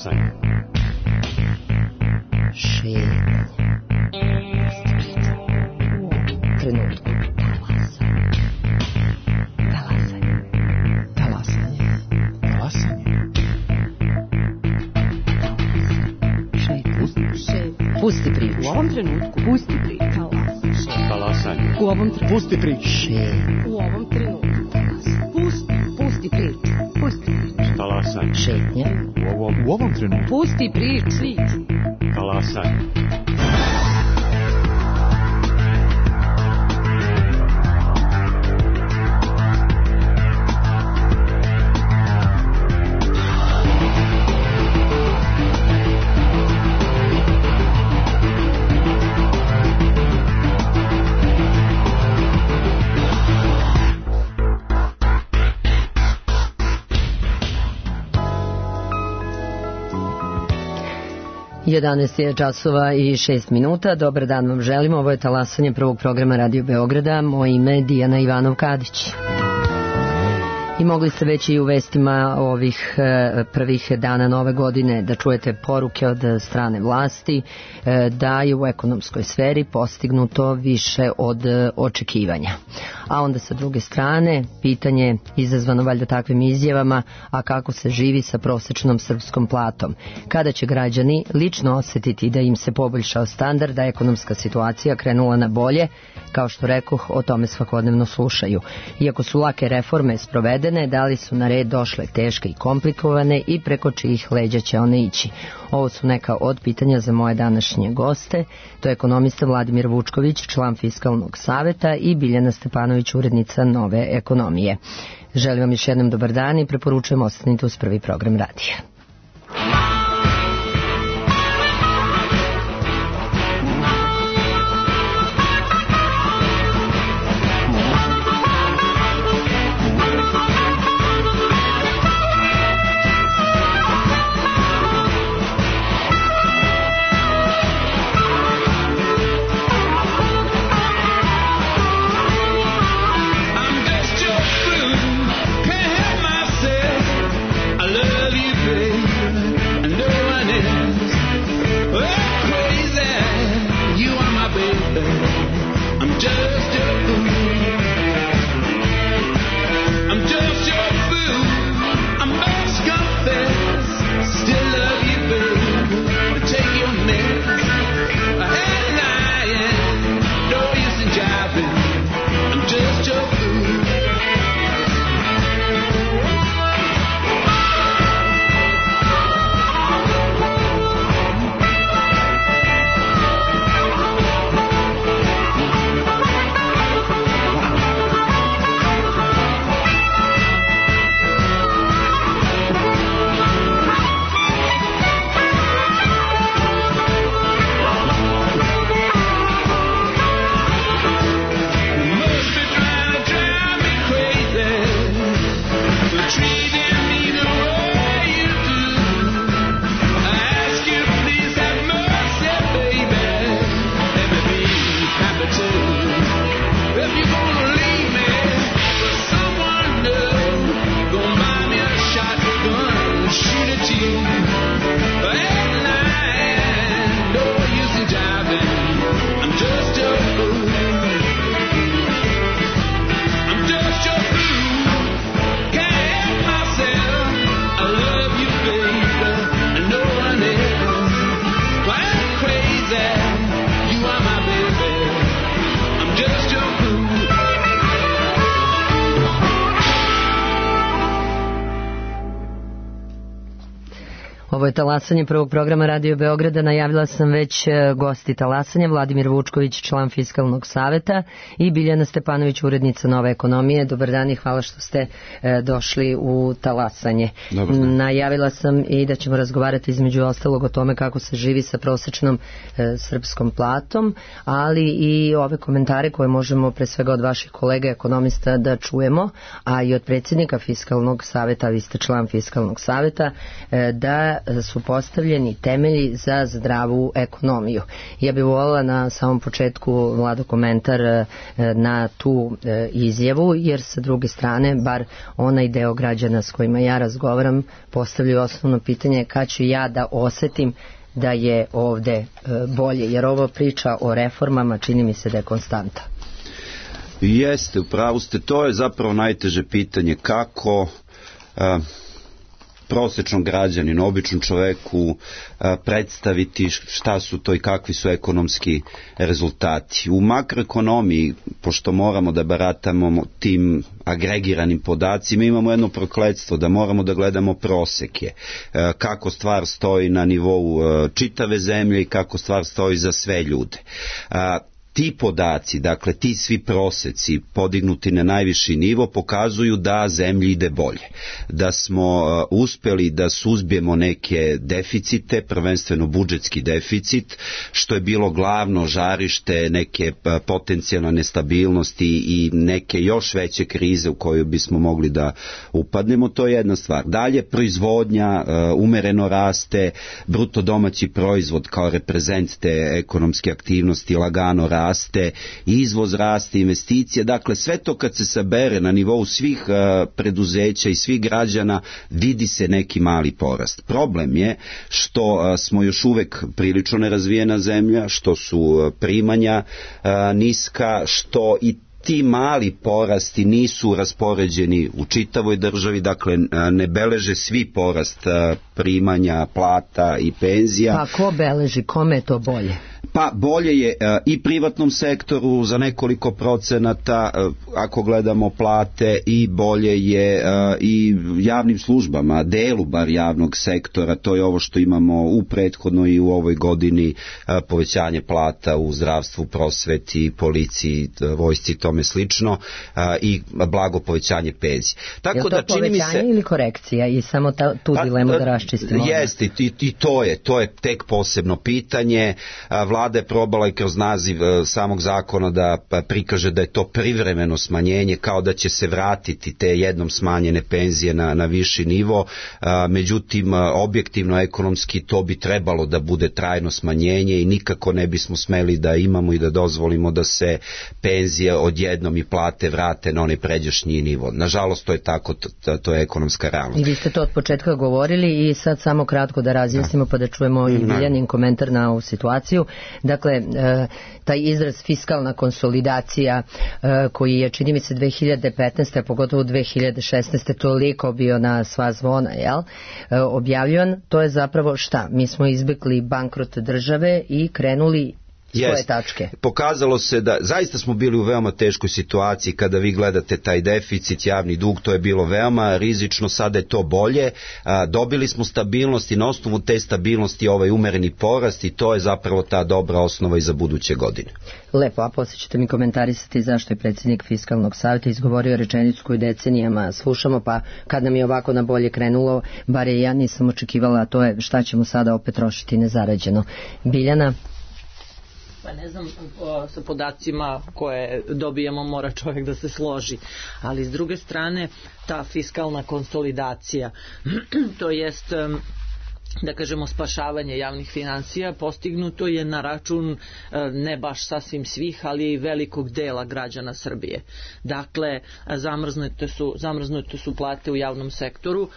Talasanje. Šetnja. Trenutku. Talasanje. Talasanje. Pusti priču. U ovom trenutku. Pusti priču. Talasanje. U ovom trenutku. Pusti priču. U ovom trenutku. Pusti priču. Pusti priču. Talasanje. Šetnja. U ovom trenutku. Pusti priču. Talasanje. Jedanaest je časova i 6 minuta. Dobar dan vam želimo. Ovo je talasanje prvog programa Radio Beograda. Moje ime je Dijana Ivanov-Kadić. I mogli ste već i u vestima ovih prvih dana nove godine da čujete poruke od strane vlasti da je u ekonomskoj sferi postignuto više od očekivanja. A onda sa druge strane pitanje izazvano valjda takvim izjavama, a kako se živi sa prosečnom srpskom platom? Kada će građani lično osetiti da im se poboljšao standard, da je ekonomska situacija krenula na bolje? Kao što rekoh, o tome svakodnevno slušaju. Iako su lake reforme sprovedene, da li su na red došle teške i komplikovane i preko čijih leđa će one ići? Ovo su neka od pitanja za moje današnje goste. To je ekonomista Vladimir Vučković, član Fiskalnog saveta, i Biljana Stepanović, urednica Nove ekonomije. Želim vam još jednom dobar dan i preporučujem ostanite uz prvi program radija. Ovo je talasanje prvog programa Radio Beograda. Najavila sam već gosti talasanja, Vladimir Vučković, član Fiskalnog saveta, i Biljana Stepanović, urednica Nove ekonomije. Dobar dan i hvala što ste došli u talasanje. Najavila sam i da ćemo razgovarati između ostalog o tome kako se živi sa prosečnom srpskom platom, ali i ove komentare koje možemo pre svega od vaših kolega ekonomista da čujemo, a i od predsjednika Fiskalnog saveta, vi ste član Fiskalnog saveta, da kada su postavljeni temelji za zdravu ekonomiju. Ja bih voljela na samom početku, Vlado, komentar na tu izjavu, jer sa druge strane, bar onaj deo građana s kojima ja razgovaram, postavljaju osnovno pitanje kada ću ja da osetim da je ovde bolje, jer ovo priča o reformama čini mi se da je konstanta. Jeste, upravo ste, to je zapravo najteže pitanje, kako prosječnom građaninu, običnom čoveku predstaviti šta su to i kakvi su ekonomski rezultati. U makroekonomiji, pošto moramo da baratamo tim agregiranim podacima, imamo jedno prokletstvo da moramo da gledamo proseke, kako stvar stoji na nivou čitave zemlje i kako stvar stoji za sve ljude. Ti podaci, dakle ti svi proseci podignuti na najviši nivo pokazuju da zemlji ide bolje, da smo uspeli da suzbijemo neke deficite, prvenstveno budžetski deficit, što je bilo glavno žarište neke potencijalne nestabilnosti i neke još veće krize u koju bismo mogli da upadnemo, to je jedna stvar. Dalje, proizvodnja umereno raste, bruto domaći proizvod kao reprezent te ekonomske aktivnosti lagano raste, izvoz raste, investicije, dakle sve to kad se sabere na nivou svih preduzeća i svih građana vidi se neki mali porast. Problem je što smo još uvek prilično nerazvijena zemlja, što su primanja niska, što i ti mali porasti nisu raspoređeni u čitavoj državi, dakle ne beleže svi porast primanja, plata i penzija. Pa ko beleži, kome je to bolje? Pa bolje je i privatnom sektoru za nekoliko procenata ako gledamo plate, i bolje je i javnim službama, delu bar javnog sektora, to je ovo što imamo u prethodnoj i u ovoj godini, povećanje plata u zdravstvu, prosveti, policiji, vojsci i tome slično, i blago povećanje penzije. Tako je to da čini mi se ili korekcija, i samo tu dilemu da raščistimo? Jeste, i to je tek posebno pitanje. Vlada je probala i kroz naziv samog zakona da prikaže da je to privremeno smanjenje, kao da će se vratiti te jednom smanjene penzije na viši nivo, međutim objektivno ekonomski to bi trebalo da bude trajno smanjenje i nikako ne bismo smeli da imamo i da dozvolimo da se penzije odjednom i plate vrate na onaj pređašnji nivo. Nažalost to je tako, to je ekonomska realnost. I vi ste to od početka govorili i sad samo kratko da razjasnimo pa da čujemo i Biljanin komentar na ovu situaciju. Dakle, taj izraz fiskalna konsolidacija koji je, čini mi se, 2015. a pogotovo 2016. toliko bio na sva zvona, objavljivan, to je zapravo šta? Mi smo izbjegli bankrot države i krenuli svoje tačke. Pokazalo se da zaista smo bili u veoma teškoj situaciji kada vi gledate taj deficit, javni dug, to je bilo veoma rizično, sada je to bolje, dobili smo stabilnost i na osnovu te stabilnosti ovaj umereni porast i to je zapravo ta dobra osnova i za buduće godine. Lepo, a poslije ćete mi komentarisati zašto je predsjednik Fiskalnog savjeta izgovorio rečenicu koju decenijama slušamo, pa kad nam je ovako na bolje krenulo, bar je ja nisam očekivala, a to je šta ćemo sada opet trošiti nezarađeno. Biljana? Pa ne znam, sa podacima koje dobijemo mora čovjek da se složi, ali s druge strane ta fiskalna konsolidacija, to jest da kažemo spašavanje javnih finansija, postignuto je na račun ne baš sasvim svih, ali i velikog dela građana Srbije. Dakle, zamrznute su plate u javnom sektoru,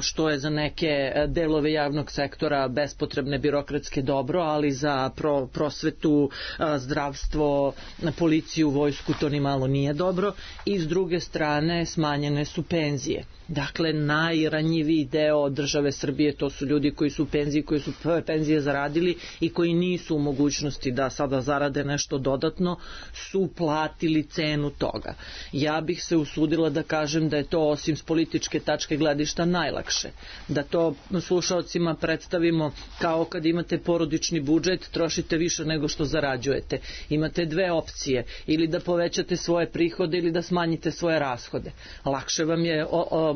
što je za neke delove javnog sektora bespotrebne birokratske dobro, ali za prosvetu, zdravstvo, policiju, vojsku to ni malo nije dobro. I s druge strane smanjene su penzije. Dakle, najranjiviji deo države Srbije, to su ljudi koji su u penziji, koji su penzije zaradili i koji nisu u mogućnosti da sada zarade nešto dodatno, su platili cenu toga. Ja bih se usudila da kažem da je to, osim s političke tačke gledišta, najlakše. Da to slušaocima predstavimo kao kad imate porodični budžet, trošite više nego što zarađujete. Imate dve opcije, ili da povećate svoje prihode ili da smanjite svoje rashode. Lakše vam je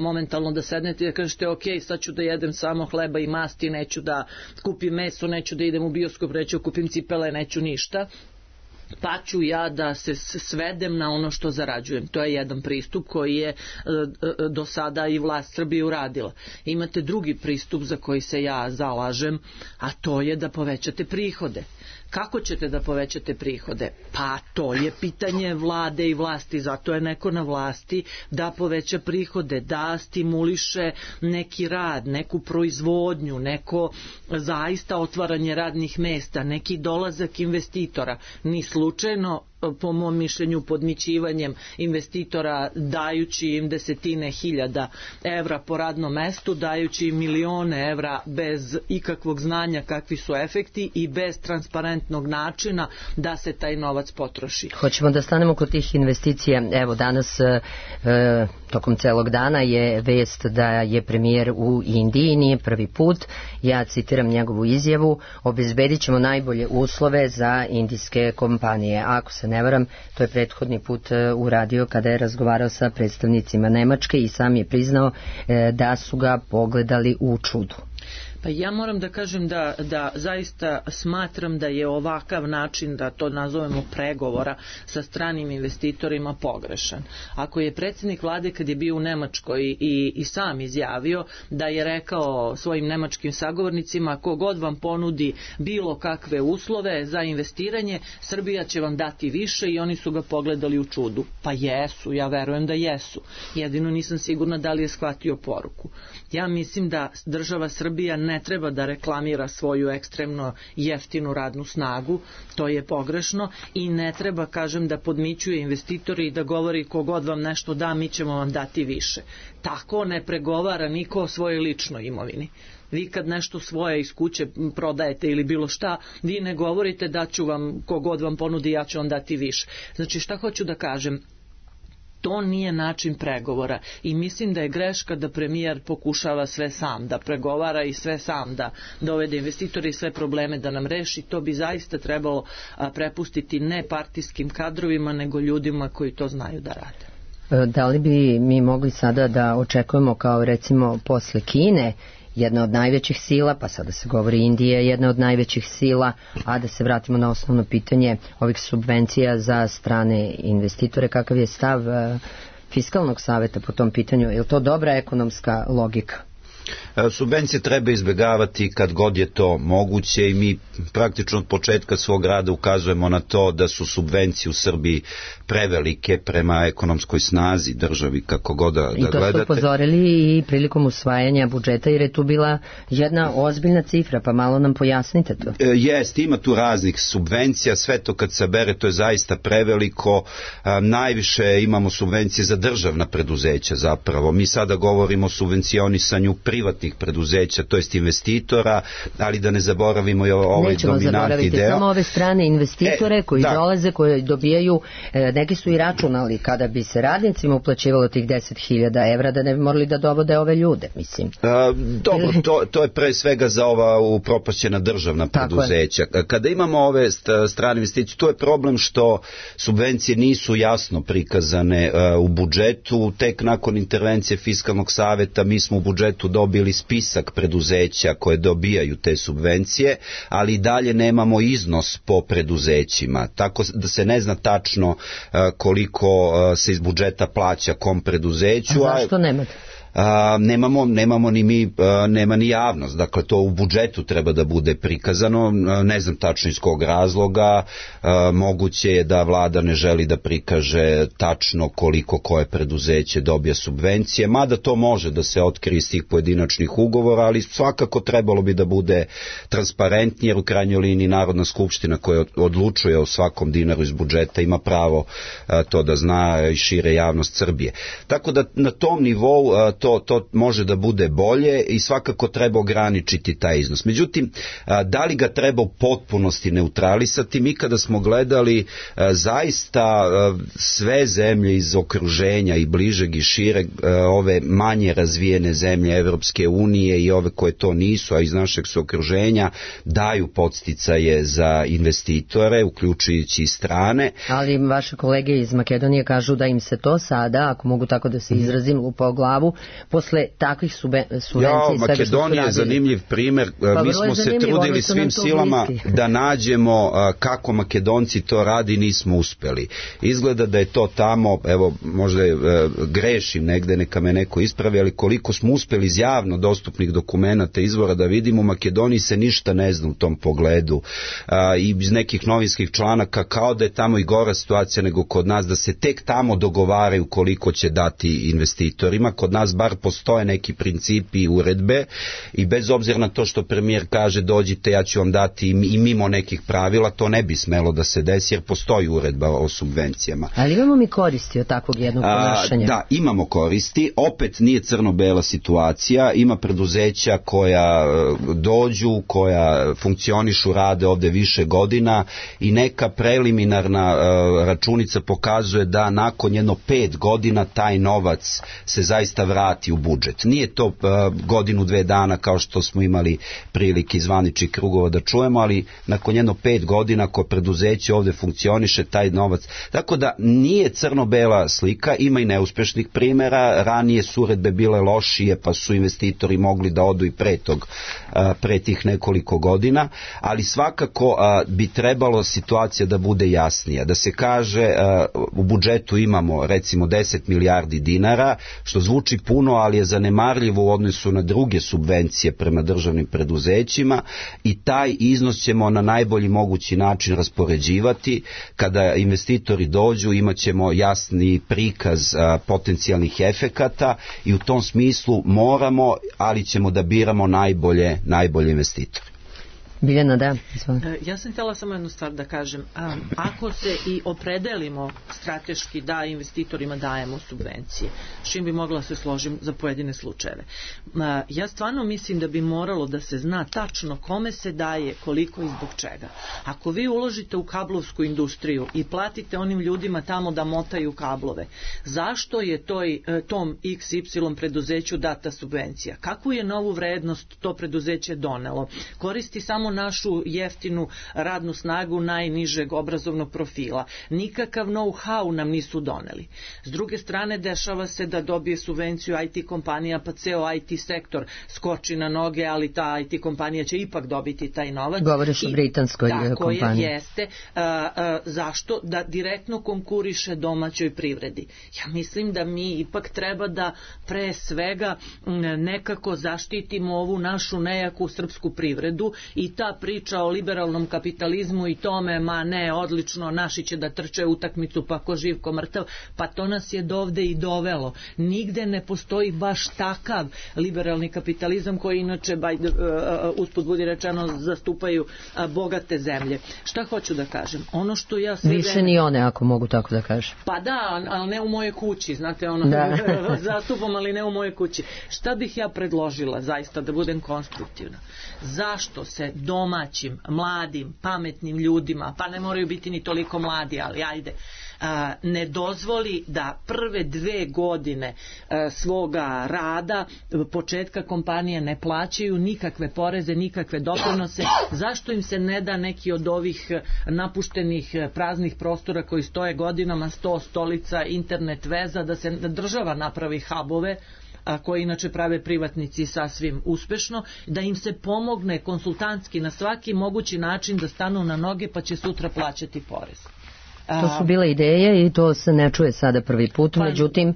momentalno da sednete i da kažete ok, sad ću da jedem samo hleba i masti, neću da kupim meso, neću da idem u bioskop, neću da kupim cipele, neću ništa. pa ću ja da se svedem na ono što zarađujem. To je jedan pristup koji je do sada i vlast Srbije uradila. Imate drugi pristup za koji se ja zalažem, a to je da povećate prihode. Kako ćete da povećate prihode? Pa to je pitanje vlade i vlasti, zato je neko na vlasti da poveća prihode, da stimuliše neki rad, neku proizvodnju, neko zaista otvaranje radnih mesta, neki dolazak investitora. Ni slučajno, po mom mišljenju, podmićivanjem investitora, dajući im desetine hiljada evra po radnom mestu, dajući im milione evra bez ikakvog znanja kakvi su efekti i bez transparentnog načina da se taj novac potroši. Hoćemo da stanemo kod tih investicija. Evo, danas tokom celog dana je vest da je premijer u Indiji, nije prvi put. Ja citiram njegovu izjavu: obezbedit ćemo najbolje uslove za indijske kompanije. Ako se ne varam, to je prethodni put uradio kada je razgovarao sa predstavnicima Nemačke i sam je priznao da su ga pogledali u čudu. Pa ja moram da kažem da zaista smatram da je ovakav način, da to nazovemo pregovora sa stranim investitorima, pogrešan. Ako je predsjednik vlade kad je bio u Nemačkoj i sam izjavio da je rekao svojim nemačkim sagovornicima: kogod vam ponudi bilo kakve uslove za investiranje, Srbija će vam dati više, i oni su ga pogledali u čudu. Pa jesu, ja verujem da jesu. Jedino nisam sigurna da li je shvatio poruku. Ja mislim da država Srbija ne treba da reklamira svoju ekstremno jeftinu radnu snagu, to je pogrešno, i ne treba, kažem, da podmićuje investitori i da govori kogod vam nešto da, mi ćemo vam dati više. Tako ne pregovara niko o svojoj ličnoj imovini. Vi kad nešto svoje iz kuće prodajete ili bilo šta, vi ne govorite da ću vam, kogod vam ponudi, ja ću vam dati više. Znači, šta hoću da kažem? To nije način pregovora i mislim da je greška da premijer pokušava sve sam da pregovara i sve sam da dovede investitore i sve probleme da nam reši. To bi zaista trebalo prepustiti ne partijskim kadrovima, nego ljudima koji to znaju da rade. Da li bi mi mogli sada da očekujemo, kao recimo posle Kine, jedna od najvećih sila, pa sada se govori Indija je jedna od najvećih sila, a da se vratimo na osnovno pitanje ovih subvencija za strane investitore, kakav je stav Fiskalnog saveta po tom pitanju? Je li to dobra ekonomska logika? Subvencije treba izbjegavati kad god je to moguće i mi praktično od početka svog rada ukazujemo na to da su subvencije u Srbiji prevelike prema ekonomskoj snazi državi, kako god da gledate. I to ste upozorili i prilikom usvajanja budžeta, jer je tu bila jedna ozbiljna cifra, pa malo nam pojasnite to. Jest, ima tu raznih subvencija, sve to kad se bere to je zaista preveliko. Najviše imamo subvencije za državna preduzeća zapravo. Mi sada govorimo o subvencionisanju privatnih preduzeća, to jest investitora, ali da ne zaboravimo i ovaj dominantni deo. Samo ove strane investitore koji dolaze, koji dobijaju, neki su i računali kada bi se radnicima uplaćivalo tih 10.000 evra, da ne bi morali da dovode ove ljude, mislim. Dobro, to je pre svega za ova upropašćena državna preduzeća. Kada imamo ove strane investicije, to je problem što subvencije nisu jasno prikazane u budžetu. Tek nakon intervencije Fiskalnog saveta mi smo u budžetu dobili spisak preduzeća koje dobijaju te subvencije, ali i dalje nemamo iznos po preduzećima, tako da se ne zna tačno koliko se iz budžeta plaća kom preduzeću. A zašto nemate? Nemamo ni mi, nema ni javnost, dakle to u budžetu treba da bude prikazano, ne znam tačno iz kog razloga, moguće je da vlada ne želi da prikaže tačno koliko koje preduzeće dobija subvencije, mada to može da se otkrije iz tih pojedinačnih ugovora, ali svakako trebalo bi da bude transparentnije, jer u krajnjoj liniji Narodna skupština koja odlučuje o svakom dinaru iz budžeta ima pravo to da zna i šire javnost Srbije. Tako da na tom nivou to može da bude bolje i svakako treba ograničiti taj iznos. Međutim, da li ga treba u potpunosti neutralisati? Mi kada smo gledali zaista sve zemlje iz okruženja i bližeg i šireg, ove manje razvijene zemlje Evropske unije i ove koje to nisu, a iz našeg su okruženja, daju podsticaje za investitore, uključujući i strane. Ali vaše kolege iz Makedonije kažu da im se to sada, ako mogu tako da se izrazim, lupa o glavu, posle takvih subvencija. Makedonija je zanimljiv primer. Mi smo se trudili svim silama da nađemo kako Makedonci to radi, nismo uspeli. Izgleda da je to tamo, evo možda grešim negde, neka me neko ispravi, ali koliko smo uspeli iz javno dostupnih dokumenata izvora da vidimo, u Makedoniji se ništa ne zna u tom pogledu i iz nekih novinskih članaka kao da je tamo i gora situacija nego kod nas, da se tek tamo dogovaraju koliko će dati investitorima. Kod nas bar postoje neki principi i uredbe i bez obzira na to što premijer kaže dođite, ja ću vam dati i mimo nekih pravila, to ne bi smelo da se desi jer postoji uredba o subvencijama. Ali imamo mi koristi od takvog jednog ponašanja? Da, imamo koristi. Opet nije crno-bela situacija. Ima preduzeća koja dođu, koja funkcionišu, rade ovde više godina i neka preliminarna računica pokazuje da nakon jedno 5 godina taj novac se zaista vrati u budžet. Nije to godinu, 2 dana kao što smo imali prilike iz zvaničnih krugova da čujemo, ali nakon jedno 5 godina ko preduzeće ovde funkcioniše, taj novac. Tako da nije crno-bela slika, ima i neuspešnih primjera, ranije su uredbe bile lošije pa su investitori mogli da odu i pre tih nekoliko godina, ali svakako bi trebalo situacija da bude jasnija, da se kaže u budžetu imamo recimo 10 milijardi dinara, što zvuči puno, ali je zanemarljivo u odnosu na druge subvencije prema državnim preduzećima i taj iznos ćemo na najbolji mogući način raspoređivati. Kada investitori dođu imat ćemo jasni prikaz potencijalnih efekata i u tom smislu moramo, ali ćemo da biramo najbolje investitore. Biljana, da. Ja sam htjela samo jednu stvar da kažem. Ako se i opredelimo strateški da investitorima dajemo subvencije, s čim bi mogla se složim za pojedine slučajeve. Ja stvarno mislim da bi moralo da se zna tačno kome se daje, koliko i zbog čega. Ako vi uložite u kablovsku industriju i platite onim ljudima tamo da motaju kablove, zašto je tom XY preduzeću data subvencija? Kakvu je novu vrednost to preduzeće donelo? Koristi samo našu jeftinu radnu snagu najnižeg obrazovnog profila. Nikakav know-how nam nisu doneli. S druge strane, dešava se da dobije subvenciju IT kompanija, pa ceo IT sektor skoči na noge, ali ta IT kompanija će ipak dobiti taj novac. Govoriš o britanskoj kompaniji. Tako je, jeste. Zašto? Da direktno konkuriše domaćoj privredi. Ja mislim da mi ipak treba da pre svega nekako zaštitimo ovu našu nejaku srpsku privredu i ta priča o liberalnom kapitalizmu i tome, ma ne, odlično, naši će da trče utakmicu pa ko živ ko mrtav, pa to nas je dovde i dovelo. Nigde ne postoji baš takav liberalni kapitalizam koji inače, usput budi rečeno, zastupaju bogate zemlje. Šta hoću da kažem? Ono što ja sve više ni one, ako mogu tako da kažem. Pa da, ali ne u mojoj kući, znate, zastupam, ali ne u mojoj kući. Šta bih ja predložila, zaista, da budem konstruktivna? Zašto se domaćim, mladim, pametnim ljudima, pa ne moraju biti ni toliko mladi, ali ajde, ne dozvoli da prve 2 godine svoga rada, početka kompanije, ne plaćaju nikakve poreze, nikakve doprinose? Zašto im se ne da neki od ovih napuštenih praznih prostora koji stoje godinama, 100 stolica, internet veza, da se država napravi hubove, koji inače prave privatnici sasvim uspešno, da im se pomogne konsultantski na svaki mogući način da stanu na noge, pa će sutra plaćati porez. To su bile ideje i to se ne čuje sada prvi put, međutim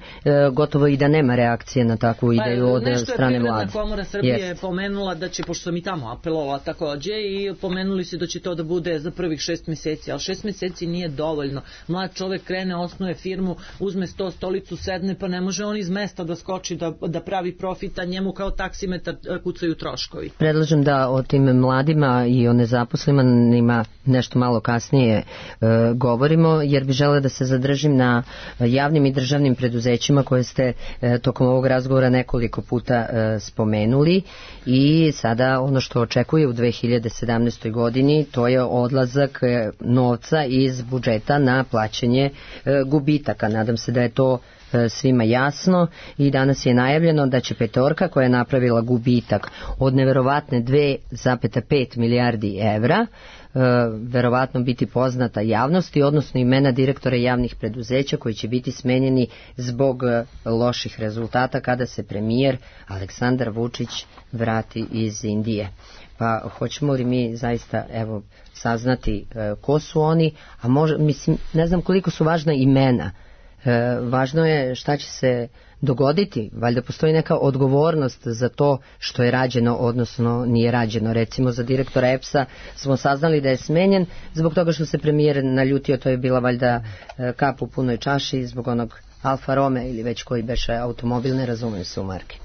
gotovo i da nema reakcije na takvu ideju od strane vlade. Nešto je Privredna komora Srbije pomenula da će, pošto sam i tamo apelovala takođe, i pomenuli se da će to da bude za prvih 6 meseci, ali 6 meseci nije dovoljno. Mlad čovek krene, osnuje firmu, uzme 100 stolicu, sedne, pa ne može on iz mesta da skoči da pravi profit, a njemu kao taksimetar kucaju troškovi. Predlažem da o tim mladima i o nezaposlenima nešto malo kasnije govorimo, jer bi žele da se zadržim na javnim i državnim preduzećima koje ste tokom ovog razgovora nekoliko puta spomenuli, i sada ono što očekuje u 2017. godini, to je odlazak novca iz budžeta na plaćanje gubitaka. Nadam se da je to svima jasno i danas je najavljeno da će petorka koja je napravila gubitak od neverovatne 2,5 milijardi evra verovatno biti poznata javnosti, odnosno imena direktora javnih preduzeća koji će biti smenjeni zbog loših rezultata kada se premijer Aleksandar Vučić vrati iz Indije. Pa hoćemo li mi zaista saznati ko su oni, a mislim, ne znam koliko su važna imena. Važno je šta će se dogoditi, valjda postoji neka odgovornost za to što je rađeno, odnosno nije rađeno. Recimo za direktora EPS-a smo saznali da je smenjen zbog toga što se premijer naljutio, to je bila valjda kap u punoj čaši zbog onog Alfa Romeo ili već koji beše automobil, ne razumijem se u marke.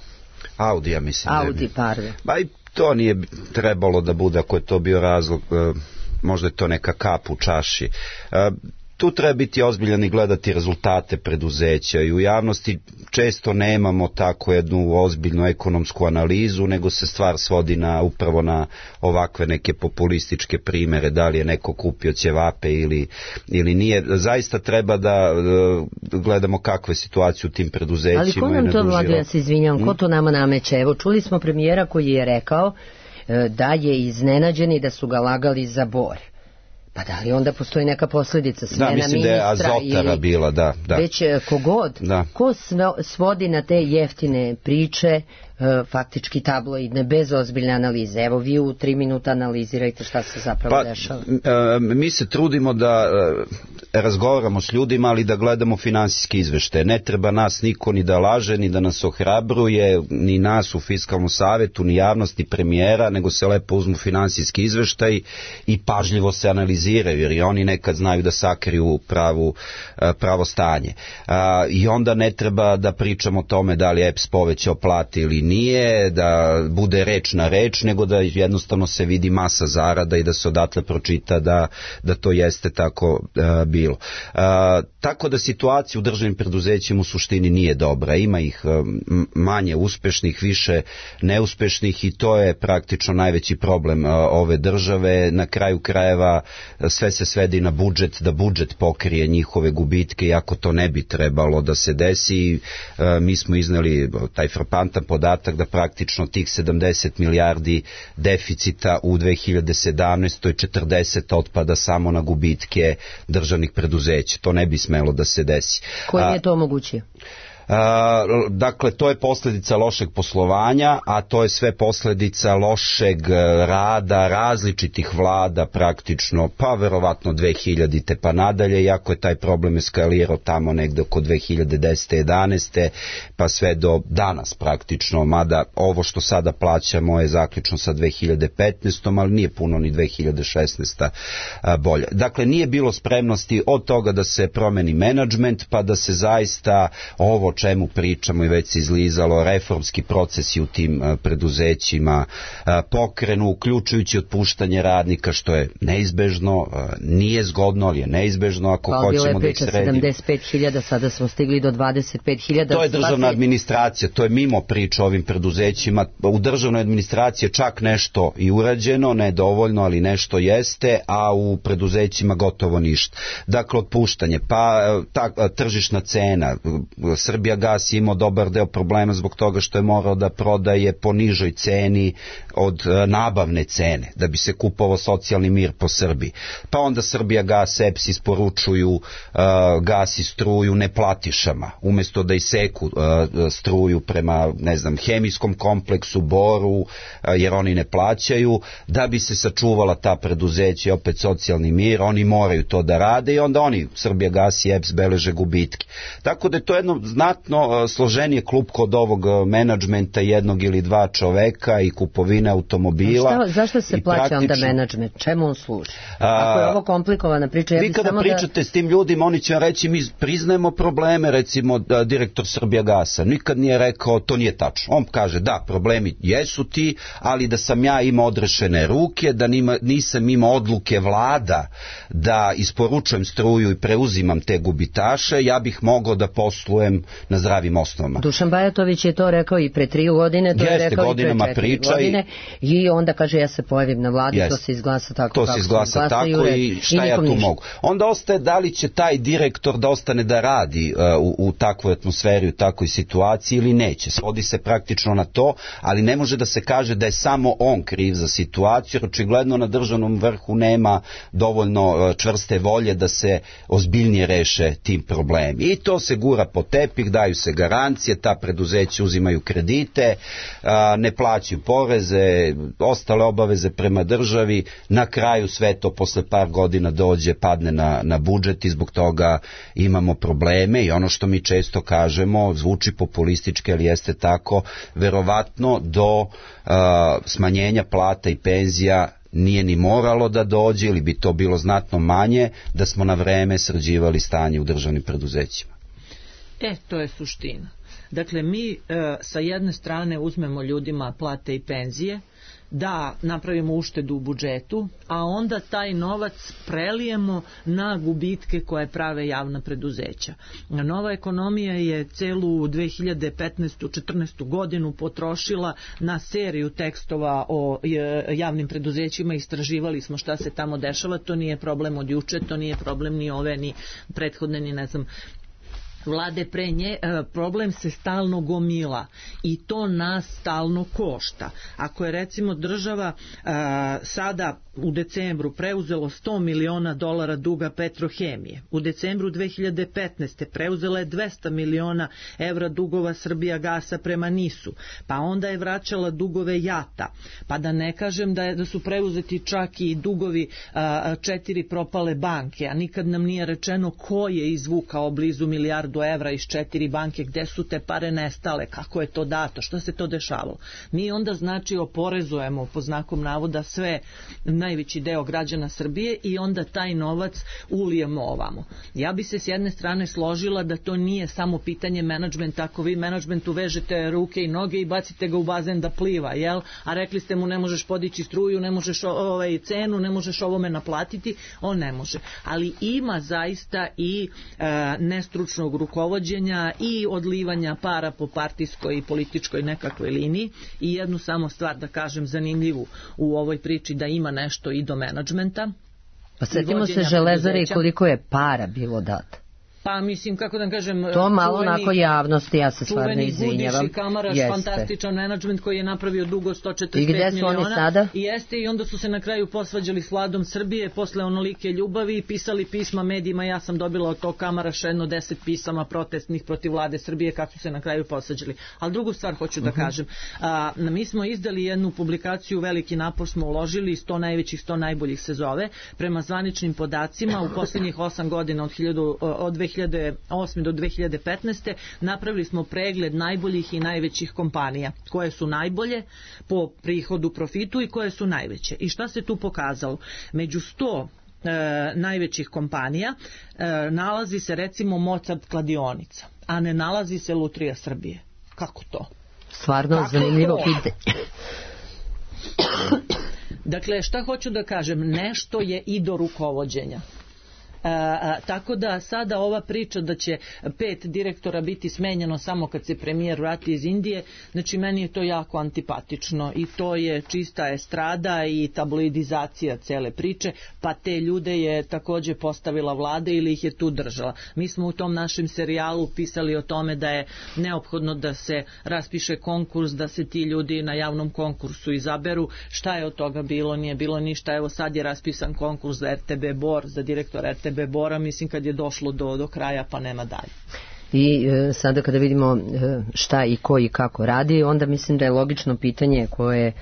Audi, ja mislim. Audi, pardon. Ba i to nije trebalo da bude, ako je to bio razlog, možda je to neka kap u čaši. Tu treba biti ozbiljan i gledati rezultate preduzeća i u javnosti često nemamo tako jednu ozbiljnu ekonomsku analizu, nego se stvar svodi upravo na ovakve neke populističke primere, da li je neko kupio ćevape ili nije. Zaista treba da gledamo kakve situacije u tim preduzećima. Ali ko nam to, Vlado, ja se izvinjam, ko to nama nameće? Evo, čuli smo premijera koji je rekao da je iznenađen i da su ga lagali za Bor. Pa da li onda postoji neka posljedica smena ministra? Da, mislim da je Azotara bila, da. Već kogod, ko svodi na te jeftine priče, faktički tabloidne, bez ozbiljne analize. Evo vi u 3 minuta analizirajte šta se zapravo dešava. Mi se trudimo da razgovaramo s ljudima, ali da gledamo finansijske izveštaje. Ne treba nas niko ni da laže, ni da nas ohrabruje, ni nas u Fiskalnom savetu, ni javnost, ni premijera, nego se lepo uzmu finansijski izveštaj i pažljivo se analiziraju, jer i oni nekad znaju da sakriju pravo stanje. I onda ne treba da pričamo o tome da li EPS povećao plate ili nije, da bude reč na reč, nego da jednostavno se vidi masa zarada i da se odatle pročita da to jeste tako bilo. Tako da situacija u državnim preduzećima u suštini nije dobra. Ima ih manje uspešnih, više neuspešnih i to je praktično najveći problem ove države. Na kraju krajeva sve se svedi na budžet, da budžet pokrije njihove gubitke, iako to ne bi trebalo da se desi. Mi smo izneli taj frapantan podatak da praktično tih 70 milijardi deficita u 2017. 40 otpada samo na gubitke državnih preduzeća. To ne bi smelo da se desi. Koji je to omogućio? Dakle, to je posljedica lošeg poslovanja, a to je sve posljedica lošeg rada različitih vlada praktično, pa verovatno 2000. pa nadalje, iako je taj problem eskalirao tamo negde oko 2010. 11. pa sve do danas praktično, mada ovo što sada plaćamo je zaključno sa 2015. ali nije puno ni 2016. bolje. Dakle, nije bilo spremnosti od toga da se promeni menadžment, pa da se zaista ovo čemu pričamo i već se izlizalo, reformski procesi u tim preduzećima pokrenu, uključujući otpuštanje radnika, što je neizbežno, nije zgodno, ali je neizbežno ako hoćemo da ih sredimo. Bilo je priča 75.000, sada smo stigli do 25.000. To je državna administracija, to je mimo priča o ovim preduzećima. U državnoj administraciji je čak nešto i urađeno, ne dovoljno, ali nešto jeste, a u preduzećima gotovo ništa. Dakle, otpuštanje, pa tržišna cena, Srbija gas je imao dobar deo problema zbog toga što je morao da prodaje po nižoj ceni od nabavne cene, da bi se kupovao socijalni mir po Srbiji. Pa onda Srbija gas, EPS isporučuju gas i struju neplatišama, umjesto da iseku struju prema, ne znam, hemijskom kompleksu, Boru, jer oni ne plaćaju, da bi se sačuvala ta preduzeća i opet socijalni mir, oni moraju to da rade i onda oni, Srbija gas i EPS, beleže gubitke. Tako da je to jedno znatno složenije klupko od ovog menadžmenta jednog ili dva čoveka i kupovine automobila. Zašto se plaća onda menadžment? Čemu on služi? Ako je ovo komplikovana priča, vi kada pričate s tim ljudima, oni će reći mi priznajemo probleme, recimo direktor Srbija gasa nikad nije rekao to nije tačno. On kaže da, problemi jesu ti, ali da sam ja imao odrešene ruke, da nisam imao odluke vlada da isporučujem struju i preuzimam te gubitaše, ja bih mogao da poslujem na zdravim osnovama. Dušan Bajatović je to rekao i pre 3 godine, to je rekao i pre 4 godine i onda kaže ja se pojavim na vladi, to se izglasa tako to se izglasa tako i šta ja tu mogu. Onda ostaje da li će taj direktor da ostane da radi u takvoj atmosferi, u takvoj situaciji ili neće. Svodi se praktično na to, ali ne može da se kaže da je samo on kriv za situaciju, jer očigledno na državnom vrhu nema dovoljno čvrste volje da se ozbiljnije reše tim problemi. I to se gura po tepih, daju se garancije, ta preduzeća uzimaju kredite, ne plaćaju poreze, ostale obaveze prema državi, na kraju sve to posle par godina dođe, padne na budžet i zbog toga imamo probleme i ono što mi često kažemo, zvuči populistički, ali jeste tako, verovatno do smanjenja plata i penzija nije ni moralo da dođe ili bi to bilo znatno manje da smo na vreme sređivali stanje u državnim preduzećima. To je suština. Dakle, mi sa jedne strane uzmemo ljudima plate i penzije, da napravimo uštedu u budžetu, a onda taj novac prelijemo na gubitke koje prave javna preduzeća. Nova ekonomija je celu 2015-14 godinu potrošila na seriju tekstova o javnim preduzećima, istraživali smo šta se tamo dešava, to nije problem od juče, to nije problem ni ove, ni prethodne, ni ne znam vlade pre nje, problem se stalno gomila i to nas stalno košta. Ako je recimo država sada u decembru preuzelo $100 miliona duga Petrohemije, u decembru 2015. preuzela je 200 miliona evra dugova Srbijagasa prema NIS-u, pa onda je vraćala dugove JAT-a, pa da ne kažem da su preuzeti čak i dugovi 4 propale banke, a nikad nam nije rečeno ko je izvukao blizu milijardu evra iz 4 banke, gde su te pare nestale, kako je to dato, što se to dešavalo. Mi onda znači oporezujemo po znakom navoda sve, najveći deo građana Srbije i onda taj novac ulijemo ovamo. Ja bi se s jedne strane složila da to nije samo pitanje menadžmenta, ako vi menadžmentu vežete ruke i noge i bacite ga u bazen da pliva, jel? A rekli ste mu ne možeš podići struju, ne možeš cenu, ne možeš ovome naplatiti, on ne može. Ali ima zaista i nestručnog rukovođenja i odlivanja para po partijskoj i političkoj nekakvoj liniji. I jednu samo stvar da kažem zanimljivu u ovoj priči, da ima nešto i do menadžmenta. Pa setimo se Železare i koliko je para bilo dato. Pa mislim, kako da kažem, to malo onako javnosti, ja se stvarno izvinjavam. Gudiš i Kamaraš, fantastičan menadžment koji je napravio dugo 145 miliona. I gde su oni sada? I onda su se na kraju posvađali s vladom Srbije posle onolike ljubavi i pisali pisma medijima. Ja sam dobila od tog Kamaraša 10 pisama protestnih protiv vlade Srbije kako su se na kraju posvađali. Ali drugu stvar hoću da kažem. Mi smo izdali jednu publikaciju, veliki napor smo uložili, 100 najvećih, 100 najboljih se zove. Prema zvaničnim podacima u posljednjih 8 godina od 2008. do 2015. napravili smo pregled najboljih i najvećih kompanija. Koje su najbolje po prihodu, profitu i koje su najveće. I šta se tu pokazalo? Među 100 najvećih kompanija nalazi se recimo Mozart kladionica, a ne nalazi se Lutrija Srbije. Kako to? Stvarno zanimljivo pitanje. Dakle, šta hoću da kažem? Nešto je i do rukovođenja. Tako da sada ova priča da će 5 direktora biti smenjeno samo kad se premijer vrati iz Indije, znači meni je to jako antipatično i to je čista estrada i tabloidizacija cele priče, pa te ljude je takođe postavila vlada ili ih je tu držala. Mi smo u tom našem serijalu pisali o tome da je neophodno da se raspiše konkurs, da se ti ljudi na javnom konkursu izaberu. Šta je od toga bilo? Nije bilo ništa. Evo sad je raspisan konkurs za RTB Bor, za direktor RTB Bora, mislim kad je došlo do kraja pa nema dalje. I sada kada vidimo šta i ko i kako radi, onda mislim da je logično pitanje koje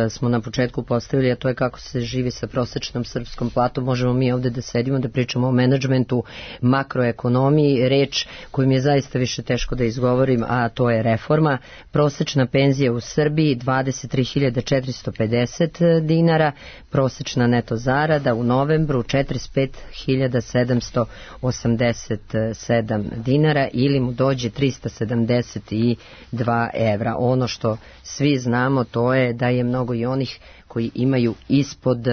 smo na početku postavili, a to je kako se živi sa prosečnom srpskom platom. Možemo mi ovde da sedimo, da pričamo o menadžmentu, makroekonomiji, reč koju mi je zaista više teško da izgovorim, a to je reforma. Prosečna penzija u Srbiji 23.450 dinara, prosečna neto zarada u novembru 45.787 dinara ili mu dođe 372 evra. Ono što svi znamo to je da je mnogo i onih koji imaju ispod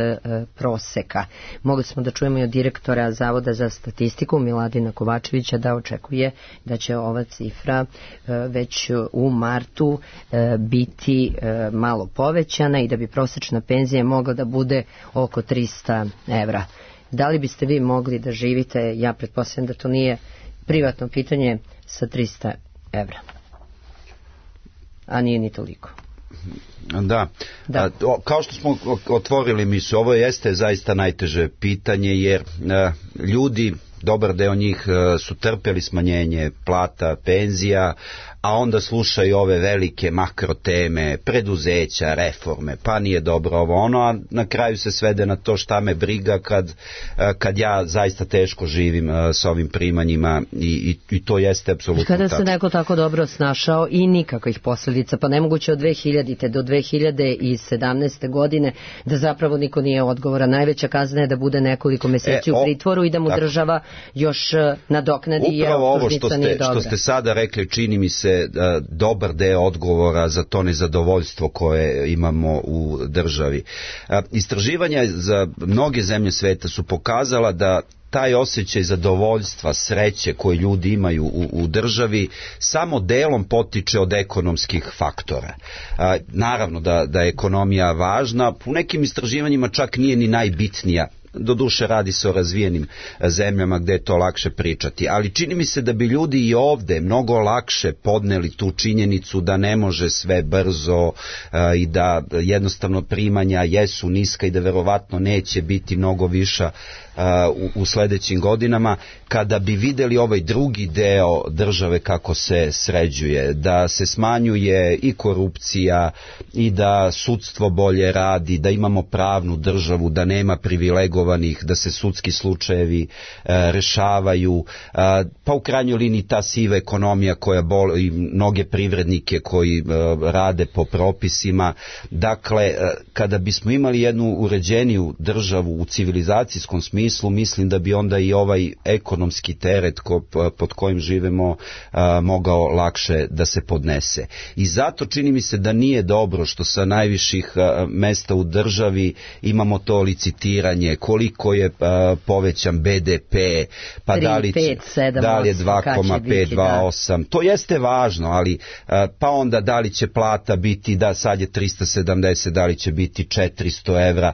proseka. Mogli smo da čujemo i od direktora Zavoda za statistiku Miladina Kovačevića da očekuje da će ova cifra već u martu biti malo povećana i da bi prosečna penzija mogla da bude oko 300 evra. Da li biste vi mogli da živite, ja pretpostavljam da to nije privatno pitanje, sa 300 evra? A nije ni toliko. Da. Kao što smo otvorili misu, ovo jeste zaista najteže pitanje, jer ljudi, dobar deo njih su trpeli smanjenje plata, penzija, a onda slušaju ove velike makroteme, preduzeća, reforme, pa nije dobro ovo ono, a na kraju se svede na to šta me briga kad ja zaista teško živim s ovim primanjima i to jeste apsolutno kada se neko tako dobro snašao i nikakvih posljedica, pa nemoguće od 2000. do 2017. godine da zapravo niko nije odgovoran. Najveća kazna je da bude nekoliko meseci u pritvoru i da mu država još nadoknadi. Upravo ovo što ste sada rekli, čini mi se dobar deo odgovora za to nezadovoljstvo koje imamo u državi. Istraživanja za mnoge zemlje sveta su pokazala da taj osjećaj zadovoljstva, sreće koje ljudi imaju u državi samo delom potiče od ekonomskih faktora. Naravno da je ekonomija važna, u nekim istraživanjima čak nije ni najbitnija. Doduše radi se o razvijenim zemljama gde je to lakše pričati, ali čini mi se da bi ljudi i ovde mnogo lakše podneli tu činjenicu da ne može sve brzo i da jednostavno primanja jesu niska i da verovatno neće biti mnogo viša u sledećim godinama, kada bi videli ovaj drugi deo države kako se sređuje, da se smanjuje i korupcija i da sudstvo bolje radi, da imamo pravnu državu, da nema privilegovanih, da se sudski slučajevi rešavaju, pa u krajnjoj liniji ta siva ekonomija koja boli mnoge privrednike koji rade po propisima. Dakle, kada bismo imali jednu uređeniju državu u civilizacijskom smislu, mislim da bi onda i ovaj ekonomski teret pod kojim živemo mogao lakše da se podnese. I zato čini mi se da nije dobro što sa najviših mesta u državi imamo to licitiranje, koliko je povećan BDP, pa 3, da li 5, 7, da li je 2,5, 2,8, to jeste važno, ali pa onda da li će plata biti, da sad je 370, da li će biti 400 evra,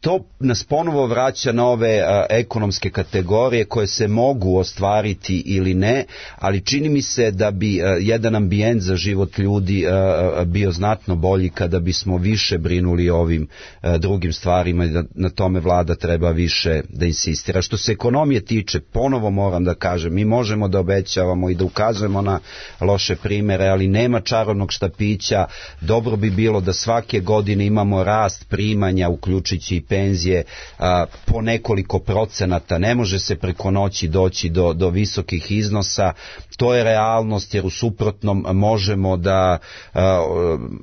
to nas ponovo vraća na ove ekonomske kategorije koje se mogu ostvariti ili ne, ali čini mi se da bi jedan ambijent za život ljudi bio znatno bolji kada bismo više brinuli o ovim drugim stvarima i da na tome vlada treba više da insistira. Što se ekonomije tiče, ponovo moram da kažem, mi možemo da obećavamo i da ukazujemo na loše primere, ali nema čarobnog štapića. Dobro bi bilo da svake godine imamo rast primanja, uključujući i penzije, po nekoliko procenata. Ne može se preko noći doći do visokih iznosa. To je realnost, jer u suprotnom možemo da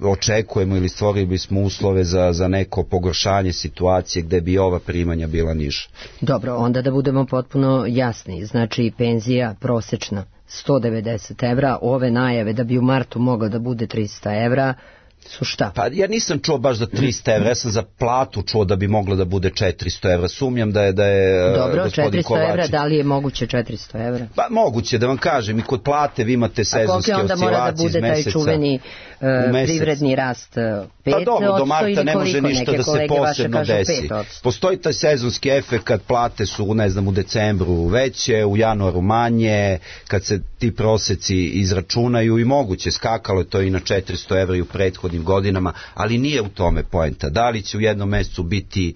očekujemo ili stvorili bismo uslove za neko pogoršanje situacije gde bi ova primanja bila niža. Dobro, onda da budemo potpuno jasni. Znači penzija prosečna 190 evra, ove najave da bi u martu mogla da bude 300 evra, su šta? Pa ja nisam čuo baš da 300 evra, ja sam za platu čuo da bi moglo da bude 400 evra, sumnjam da je dobro, gospodin Kovačić. 400 evra, da li je moguće 400 evra? Pa moguće, da vam kažem, i kod plate vi imate sezonske oscilacije iz meseca. A koliko onda mora da bude taj čuveni privredni rast 5%? Pa dobro, do marta ne može ništa da se posebno desi. Postoji taj sezonski efekt kad plate su, ne znam, u decembru veće, u januaru manje, kad se ti proseci izračunaju i moguće, skakalo je to i na 400 evra i u prethodnim godinama, ali nije u tome poenta. Da li će u jednom mesecu biti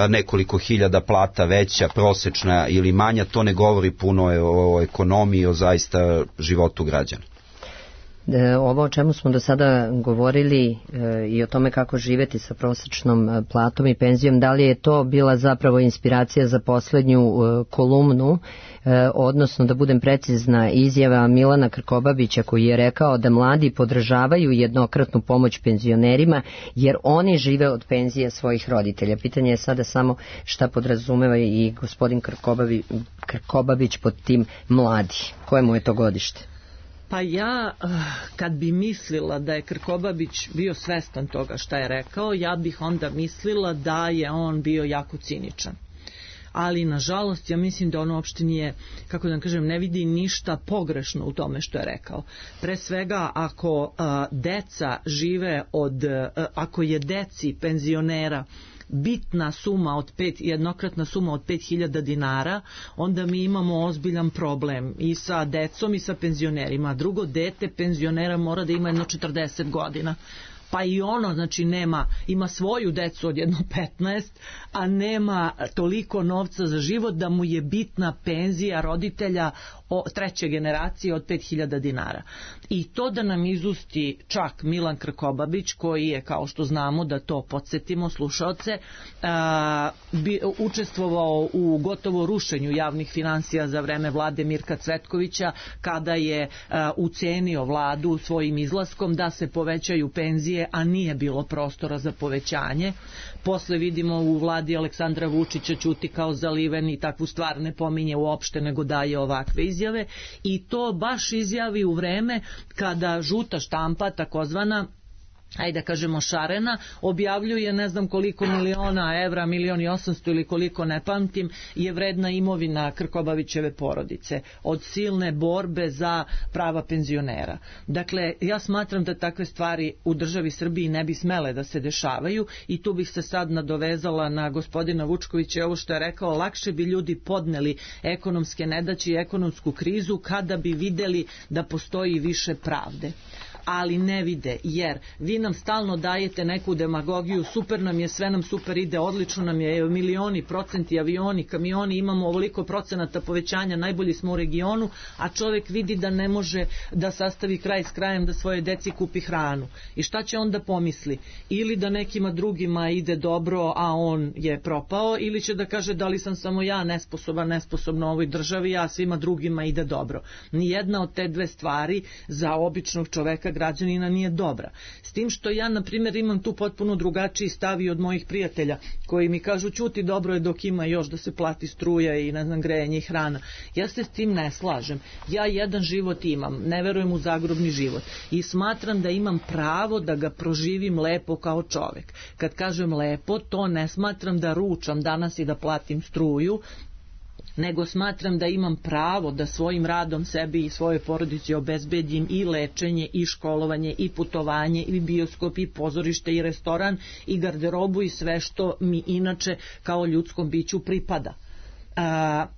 nekoliko hiljada plata veća, prosečna ili manja, to ne govori puno o ekonomiji, o zaista životu građana. Ovo o čemu smo do sada govorili i o tome kako živeti sa prosječnom platom i penzijom, da li je to bila zapravo inspiracija za poslednju kolumnu, odnosno da budem precizna, izjava Milana Krkobabića koji je rekao da mladi podržavaju jednokratnu pomoć penzionerima jer oni žive od penzije svojih roditelja. Pitanje je sada samo šta podrazumeva i gospodin Krkobabić pod tim mladi. Koje mu je to godište? Pa ja, kad bi mislila da je Krkobabić bio svestan toga šta je rekao, ja bih onda mislila da je on bio jako ciničan. Ali, nažalost, ja mislim da on uopšte nije, kako da kažem, ne vidi ništa pogrešno u tome što je rekao. Pre svega, ako deca žive ako je deci penzionera bitna suma jednokratna suma od 5.000 dinara, onda mi imamo ozbiljan problem i sa decom i sa penzionerima. Drugo, dete penzionera mora da ima jedno 40 godina. Pa i ono, znači, ima svoju decu od jedno 15, a nema toliko novca za život da mu je bitna penzija roditelja treće generacije od 5.000 dinara. I to da nam izusti čak Milan Krkobabić, koji je, kao što znamo, da to podsjetimo slušaoce, učestvovao u gotovo rušenju javnih finansija za vreme vlade Mirka Cvetkovića, kada je ucenio vladu svojim izlaskom da se povećaju penzije, a nije bilo prostora za povećanje. Posle vidimo u vladi Aleksandra Vučića ćuti kao zaliven i takvu stvar ne pominje uopšte, nego daje ovakve izjave, i to baš izjavi u vreme kada žuta štampa, takozvana, ajde da kažemo šarena, objavljuje ne znam koliko miliona evra, 1.800.000 ili koliko, ne pamtim, je vredna imovina Krkobabićeve porodice od silne borbe za prava penzionera. Dakle, ja smatram da takve stvari u državi Srbiji ne bi smele da se dešavaju, i tu bih se sad nadovezala na gospodina Vučkovića i ovo što je rekao, lakše bi ljudi podneli ekonomske nedaće i ekonomsku krizu kada bi videli da postoji više pravde. Ali ne vide, jer vi nam stalno dajete neku demagogiju, super nam je, sve nam super ide, odlično nam je, milioni, procenti, avioni, kamioni, imamo ovoliko procenata povećanja, najbolji smo u regionu, a čovjek vidi da ne može da sastavi kraj s krajem, da svoje deci kupi hranu. I šta će onda pomisli? Ili da nekima drugima ide dobro, a on je propao, ili će da kaže da li sam samo ja nesposobna u ovoj državi, a svima drugima ide dobro. Nijedna od te dve stvari za običnog čoveka, građanina, nije dobra. S tim što ja, na primjer, imam tu potpuno drugačiji stav i od mojih prijatelja koji mi kažu, ćuti, dobro je dok ima još da se plati struja i ne znam grejanje i hrana. Ja se s tim ne slažem. Ja jedan život imam, ne verujem u zagrobni život i smatram da imam pravo da ga proživim lepo kao čovek. Kad kažem lepo, to ne smatram da ručam danas i da platim struju, nego smatram da imam pravo da svojim radom sebi i svojoj porodici obezbedim i lečenje, i školovanje, i putovanje, i bioskop, i pozorište, i restoran, i garderobu, i sve što mi inače kao ljudskom biću pripada.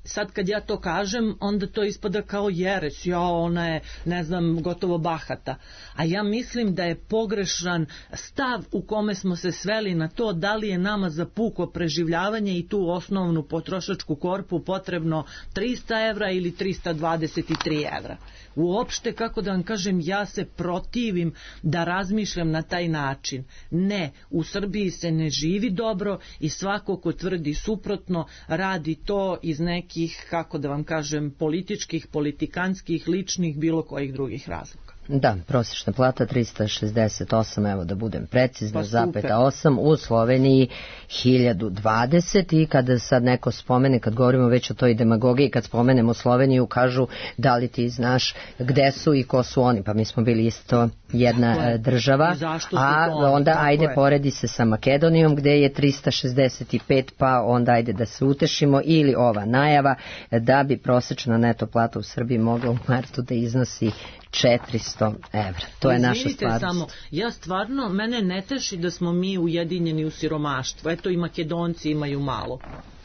Sad kad ja to kažem, onda to ispada kao jeres, ona je, ne znam, gotovo bahata. A ja mislim da je pogrešan stav u kome smo se sveli na to da li je nama za puko preživljavanje i tu osnovnu potrošačku korpu potrebno 300 evra ili 323 evra. Uopšte, kako da vam kažem, ja se protivim da razmišljam na taj način. Ne, u Srbiji se ne živi dobro i svako ko tvrdi suprotno radi to iz nekih, kako da vam kažem, političkih, politikanskih, ličnih, bilo kojih drugih razloga. Da, prosječna plata 368, evo da budem precizna, zapeta 8, u Sloveniji 1020, i kada sad neko spomene, kad govorimo već o toj demagogiji, kad spomenemo Sloveniju, kažu da li ti znaš gde su i ko su oni, pa mi smo bili isto jedna država, a onda ajde poredi se sa Makedonijom gde je 365, pa onda ajde da se utešimo, ili ova najava da bi prosječna neto plata u Srbiji mogla u martu da iznosi 400 evra. To je naša stvarnost. Samo, ja stvarno, mene ne teši da smo mi ujedinjeni u siromaštvu. Eto, i Makedonci imaju malo.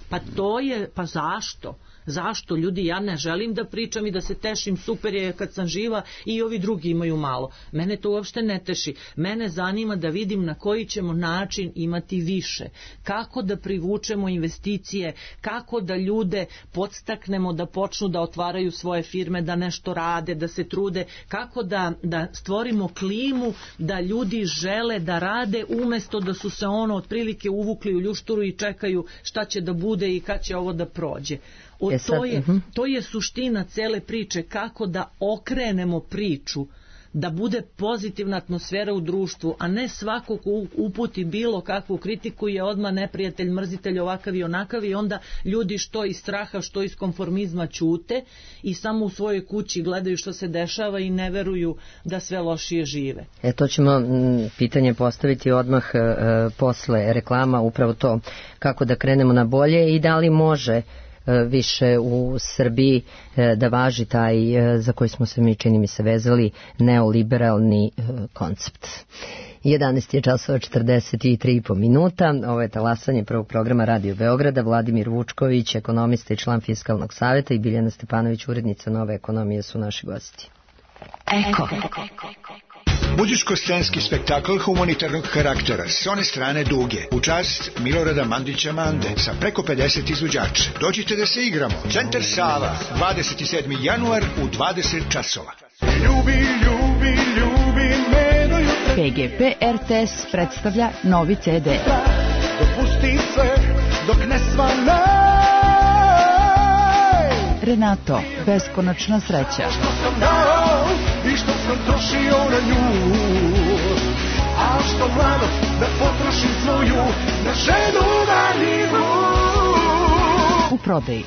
Pa to je, pa zašto? Zašto? Ljudi, ja ne želim da pričam i da se tešim, super je kad sam živa i ovi drugi imaju malo. Mene to uopšte ne teši. Mene zanima da vidim na koji ćemo način imati više. Kako da privučemo investicije, kako da ljude podstaknemo da počnu da otvaraju svoje firme, da nešto rade, da se trude, kako da stvorimo klimu da ljudi žele da rade umesto da su se otprilike uvukli u ljušturu i čekaju šta će da bude i kad će ovo da prođe. To je suština cele priče, kako da okrenemo priču, da bude pozitivna atmosfera u društvu, a ne svako ko uputi bilo kakvu kritiku je odmah neprijatelj, mrzitelj, ovakav i onakav, i onda ljudi što iz straha, što iz konformizma ćute i samo u svojoj kući gledaju što se dešava i ne veruju da sve lošije žive. To ćemo pitanje postaviti odmah posle reklama, upravo to kako da krenemo na bolje i da li može više u Srbiji da važi taj, za koji smo se mi, čini mi se, vezali, neoliberalni koncept. 11 je časova 43,5 minuta. Ovo je talasanje prvog programa Radio Beograda. Vladimir Vučković, ekonomista i član Fiskalnog saveta, i Biljana Stepanović, urednica Nove ekonomije, su naši gosti. Eko. Muzičko-scenski spektakl humanitarnog karaktera s one strane Duge, u čast Milorada Mandića Mande, sa preko 50 izvođača. Dođite da se igramo. Centar Sava, 27. januar u 20 časova. Ljubi, ljubi, ljubi me do jutra. PGP RTS predstavlja novi CD. Dopusti sve dok ne svane. Renato, beskonačna sreća. Što sam dao i što sam trošio na nju, a što mladost da potrošim svoju na ženu marljivu. U prodaji.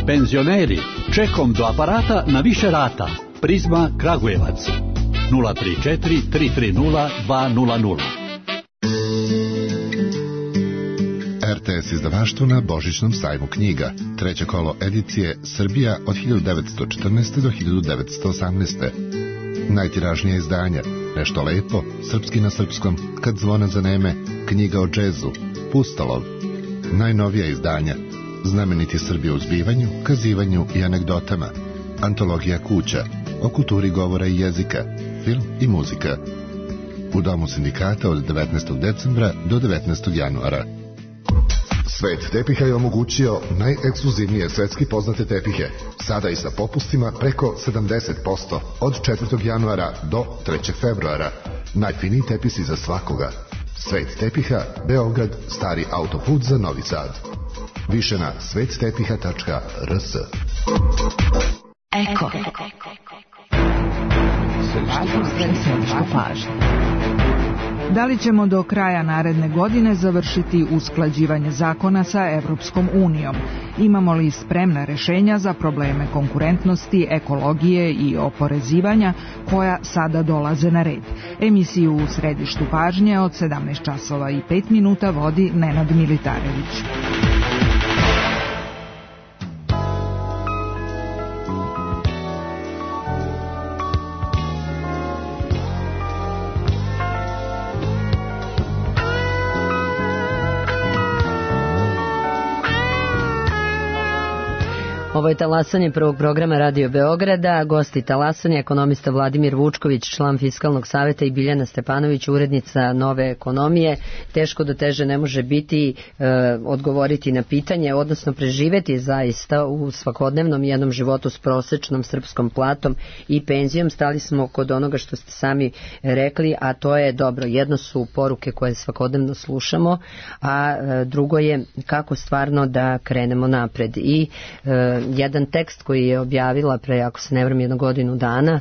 Penzioneri, čekom do aparata na više rata. Prizma Kragujevac 034 330 200. RTS izdavaštvo na Božićnom sajmu knjiga. Treće kolo edicije Srbija od 1914. do 1918. Najtiražnije izdanja: Nešto lepo, Srpski na srpskom, Kad zvona zaneme, Knjiga o džezu, Pustolov. Najnovija izdanja: Znameniti Srbi u zbivanju, kazivanju i anegdotama, Antologija kuća, o kulturi govora i jezika, film i muzika. U Domu sindikata od 19. decembra do 19. januara. Svet tepiha je omogućio najekskluzivnije svetski poznate tepihe, sada i sa popustima preko 70%, od 4. januara do 3. februara. Najfiniji tepisi za svakoga. Svet tepiha, Beograd, Stari autoput za Novi Sad. Više na svettepiha.rs. Eko. Središnja pažnja. Da li ćemo do kraja naredne godine završiti usklađivanje zakona sa Evropskom unijom? Imamo li spremna rešenja za probleme konkurentnosti, ekologije i oporezivanja koja sada dolaze na red? Emisiju u središtu pažnje od 17 časova i 5 minuta vodi Nenad Militarević. Ovo je talasanje prvog programa Radio Beograda. Gosti talasanja, ekonomista Vladimir Vučković, član Fiskalnog saveta, i Biljana Stepanović, urednica Nove ekonomije. Teško da teže ne može biti odgovoriti na pitanje, odnosno preživeti zaista u svakodnevnom jednom životu s prosečnom srpskom platom i penzijom. Stali smo kod onoga što ste sami rekli, a to je dobro. Jedno su poruke koje svakodnevno slušamo, a drugo je kako stvarno da krenemo napred. I jedan tekst koji je objavila pre, ako se ne varam, 1 godinu dana,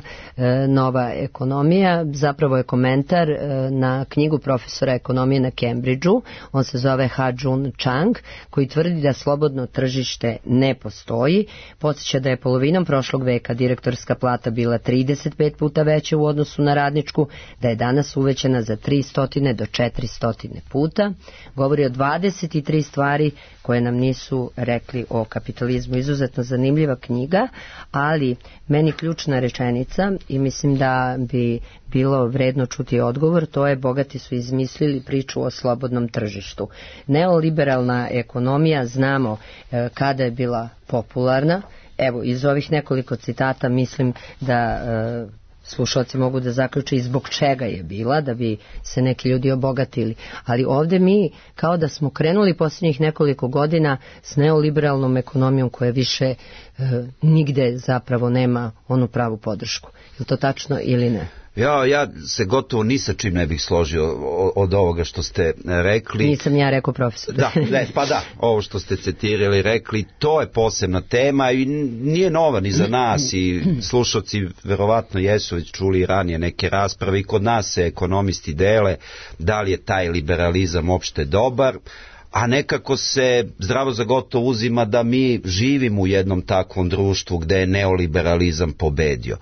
Nova ekonomija, zapravo je komentar na knjigu profesora ekonomije na Cambridgeu. On se zove Ha-Jun Chang, koji tvrdi da slobodno tržište ne postoji. Podsjeća da je polovinom prošlog veka direktorska plata bila 35 puta veća u odnosu na radničku, da je danas uvećana za 300 do 400 puta. Govori o 23 stvari koje nam nisu rekli o kapitalizmu. Izuzetno izuzetno zanimljiva knjiga, ali meni ključna rečenica i mislim da bi bilo vredno čuti odgovor, to je bogati su izmislili priču o slobodnom tržištu. Neoliberalna ekonomija znamo kada je bila popularna. Evo, iz ovih nekoliko citata mislim da slušalci mogu da zaključe i zbog čega je bila, da bi se neki ljudi obogatili. Ali ovdje mi kao da smo krenuli posljednjih nekoliko godina s neoliberalnom ekonomijom koja više nigde zapravo nema onu pravu podršku. Je to tačno ili ne? Ja se gotovo ni sa čim ne bih složio od ovoga što ste rekli. Nisam ja rekao, profesor. Da, ovo što ste citirali, rekli, to je posebna tema i nije nova ni za nas i slušalci verovatno jesu već čuli ranije neke rasprave i kod nas se ekonomisti dele da li je taj liberalizam uopšte dobar, a nekako se zdravo za gotovo uzima da mi živimo u jednom takvom društvu gde je neoliberalizam pobedio.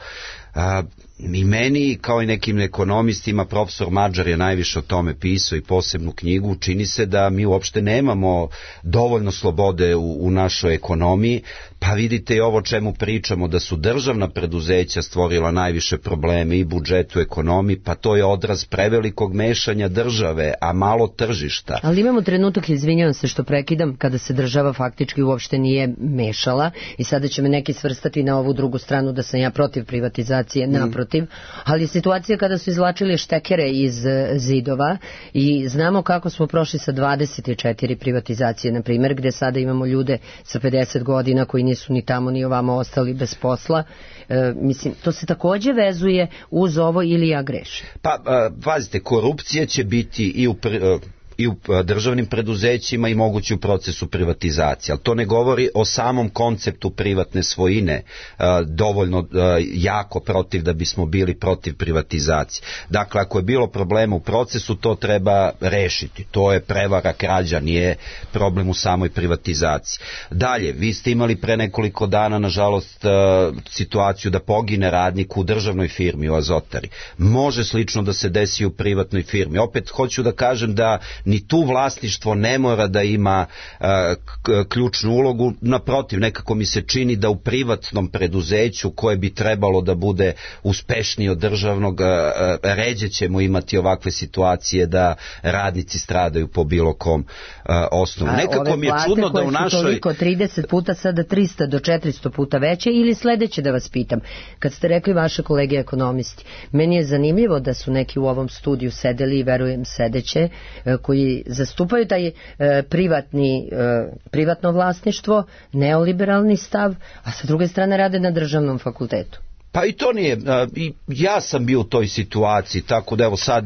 I meni, kao i nekim ekonomistima, profesor Mađar je najviše o tome pisao i posebnu knjigu, čini se da mi uopšte nemamo dovoljno slobode u našoj ekonomiji, pa vidite i ovo o čemu pričamo, da su državna preduzeća stvorila najviše probleme i budžetu, ekonomiji, pa to je odraz prevelikog mešanja države, a malo tržišta. Ali imamo trenutak, izvinjavam se što prekidam, kada se država faktički uopšte nije mešala i sada će me neki svrstati na ovu drugu stranu da sam ja protiv privatizacije, naprotiv. Ali situacija kada su izvlačili štekere iz zidova i znamo kako smo prošli sa 24 privatizacije, na primjer, gdje sada imamo ljude sa 50 godina koji nisu ni tamo ni ovamo ostali bez posla. Mislim, to se također vezuje uz ovo ili ja grešim? Pa, pazite, korupcija će biti i u državnim preduzećima i mogući u procesu privatizacije. Ali to ne govori o samom konceptu privatne svojine dovoljno jako protiv da bismo bili protiv privatizacije. Dakle, ako je bilo problema u procesu, to treba rešiti. To je prevara, krađa, nije problem u samoj privatizaciji. Dalje, vi ste imali pre nekoliko dana, nažalost, situaciju da pogine radnik u državnoj firmi, u Azotari. Može slično da se desi u privatnoj firmi. Opet hoću da kažem da ni tu vlasništvo ne mora da ima ključnu ulogu, naprotiv, nekako mi se čini da u privatnom preduzeću koje bi trebalo da bude uspešnije od državnog, ređe ćemo imati ovakve situacije da radnici stradaju po bilo kom osnovu. Nekako mi je čudno da u našoj... Ove plate koje su toliko 30 puta, sada 300 do 400 puta veće, ili sledeće da vas pitam, kad ste rekli vaše kolege ekonomisti, meni je zanimljivo da su neki u ovom studiju sedeli i verujem sedeće, koji zastupaju taj privatno vlasništvo, neoliberalni stav, a sa druge strane rade na državnom fakultetu. Pa i to nije, ja sam bio u toj situaciji, tako da evo sad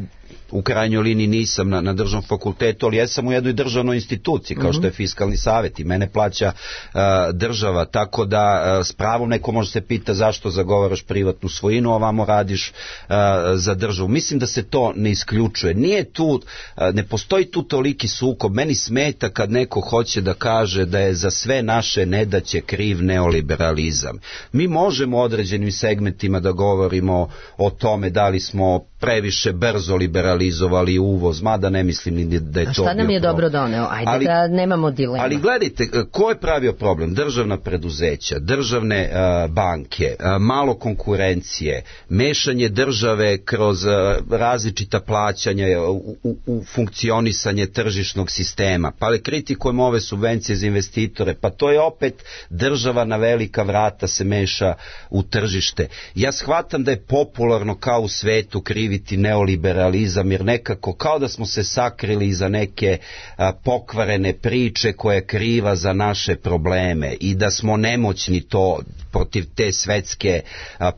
u krajnjoj liniji nisam na državnom fakultetu, ali jesam u jednoj državnoj instituciji, kao što je Fiskalni savjet i mene plaća država, tako da s pravom neko može se pita zašto zagovaraš privatnu svojinu, a ovamo radiš za državu. Mislim da se to ne isključuje. Nije tu, ne postoji tu toliki sukob. Meni smeta kad neko hoće da kaže da je za sve naše nedaće kriv neoliberalizam. Mi možemo u određenim segmentima da govorimo o tome da li smo previše brzo liberalizovali uvoz, mada ne mislim ni da je to bio problem. A šta nam je dobro doneo? Ajde da nemamo dilema. Ali gledajte, ko je pravio problem? Državna preduzeća, državne banke, malo konkurencije, mešanje države kroz različita plaćanja u funkcionisanje tržišnog sistema, pa kritikujemo ove subvencije za investitore, pa to je opet država na velika vrata se meša u tržište. Ja shvatam da je popularno kao u svetu kriviti neoliberalizam, jer nekako kao da smo se sakrili iza neke pokvarene priče koja je kriva za naše probleme i da smo nemoćni to protiv te svetske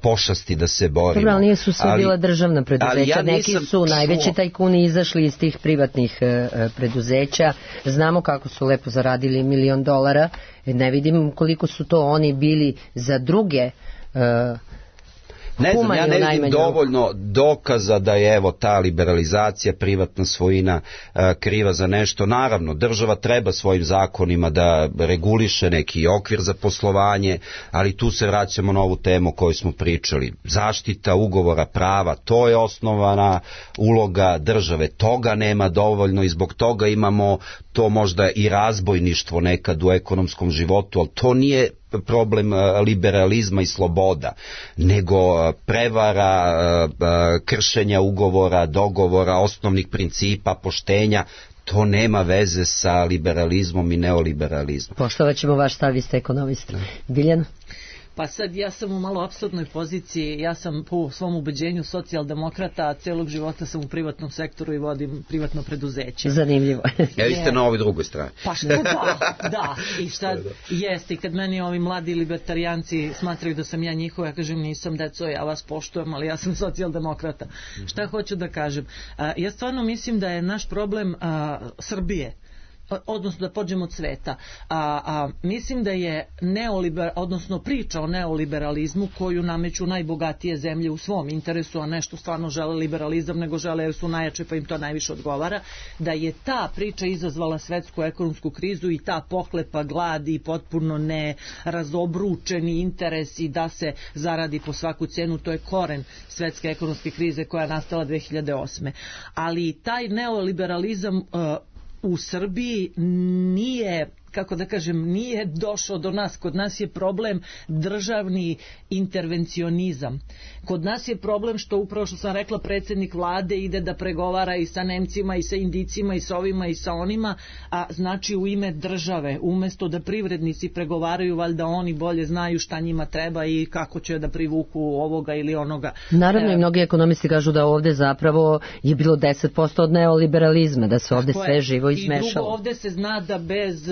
pošasti da se borimo. Dobro, ali nisu sve bila državna preduzeća, neki su najveći tajkuni izašli iz tih privatnih preduzeća, znamo kako su lepo zaradili $1 milion, ne vidim koliko su to oni bili za druge. Ne znam, ja ne vidim dovoljno dokaza da je evo ta liberalizacija, privatna svojina kriva za nešto. Naravno, država treba svojim zakonima da reguliše neki okvir za poslovanje, ali tu se vraćamo na ovu temu o kojoj smo pričali. Zaštita ugovora prava, to je osnovana uloga države. Toga nema dovoljno i zbog toga imamo to možda i razbojništvo nekad u ekonomskom životu, ali to nije problem liberalizma i sloboda, nego prevara, kršenja ugovora, dogovora, osnovnih principa, poštenja. To nema veze sa liberalizmom i neoliberalizmom. Poštovat ćemo vaš stav, vi ste ekonomista. Biljana? Pa sad ja sam u malo apsurdnoj poziciji, ja sam po svom ubeđenju socijaldemokrata, a celog života sam u privatnom sektoru i vodim privatno preduzeće. Zanimljivo. Vi ste na ovoj drugoj strani. Pa što da. I šta jeste, i kad meni ovi mladi libertarijanci smatraju da sam ja njihova, ja kažem nisam deco, ja vas poštujem, ali ja sam socijaldemokrata. Šta hoću da kažem? Ja stvarno mislim da je naš problem Srbije, odnosno da pođemo od sveta. Mislim da je odnosno priča o neoliberalizmu koju nameću najbogatije zemlje u svom interesu, a nešto stvarno žele liberalizam, nego žele jer su najjače pa im to najviše odgovara, da je ta priča izazvala svetsku ekonomsku krizu i ta pohlepa, glad i potpuno nerazobručeni interesi da se zaradi po svaku cenu, to je koren svetske ekonomske krize koja je nastala 2008. Ali taj neoliberalizam u Srbiji nije, kako da kažem, nije došao do nas. Kod nas je problem državni intervencionizam. Kod nas je problem što upravo što sam rekla, predsjednik vlade ide da pregovara i sa Nemcima i sa Indicima i sa ovima i sa onima, a znači u ime države, umjesto da privrednici pregovaraju, valjda oni bolje znaju šta njima treba i kako će da privuku ovoga ili onoga. Naravno i mnogi ekonomisti kažu da ovdje zapravo je bilo 10% od neoliberalizma, da se ovdje sve živo izmešalo. I drugo, ovdje se zna da bez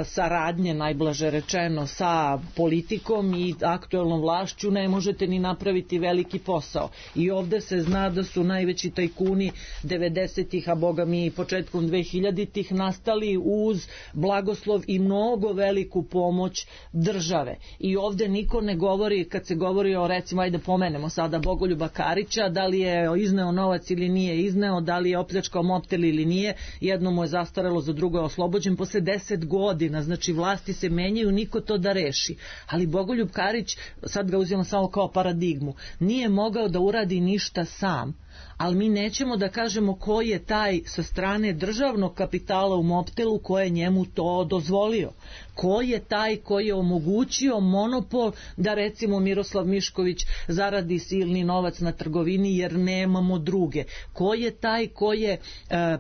saradnje, najblaže rečeno, sa politikom i aktuelnom vlašću ne možete ni napraviti veliki posao. I ovdje se zna da su najveći tajkuni 90-ih, a boga mi početkom 2000-ih nastali uz blagoslov i mnogo veliku pomoć države. I ovdje niko ne govori, kad se govori o, recimo, ajde pomenemo sada Bogoljuba Karića, da li je izneo novac ili nije izneo, da li je opljačkao Mobtel ili nije, jedno mu je zastarelo, za drugo je oslobođen posle 10 godina, znači vlasti se menjaju, niko to da reši. Ali Bogoljub Karić, sad ga uzimam samo kao paradigmu, nije mogao da uradi ništa sam. Ali mi nećemo da kažemo ko je taj sa strane državnog kapitala u Mobtelu ko je njemu to dozvolio. Ko je taj koji je omogućio monopol da recimo Miroslav Mišković zaradi silni novac na trgovini jer nemamo druge. Ko je taj koji je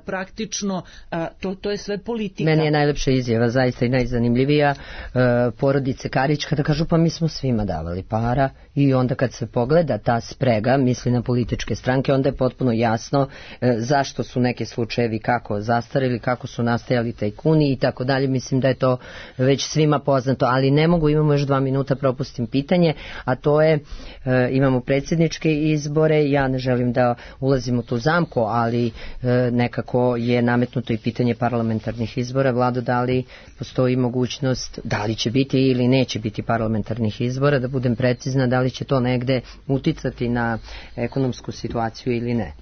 praktično, to je sve politika. Meni je najlepša izjava, zaista i najzanimljivija, porodice Karić kada kažu pa mi smo svima davali para i onda kad se pogleda ta sprega, misli na političke stranke, onda je potpuno jasno zašto su neki slučajevi kako zastarili, kako su nastajali tajkuni i tako dalje. Mislim da je to već svima poznato, ali ne mogu, imamo još 2 minuta, propustim pitanje, a to je, imamo predsjedničke izbore, ja ne želim da ulazim u tu zamku, ali nekako je nametnuto i pitanje parlamentarnih izbora. Vlado, da li postoji mogućnost, da li će biti ili neće biti parlamentarnih izbora, da budem precizna, da li će to negde uticati na ekonomsku situaciju ili ne?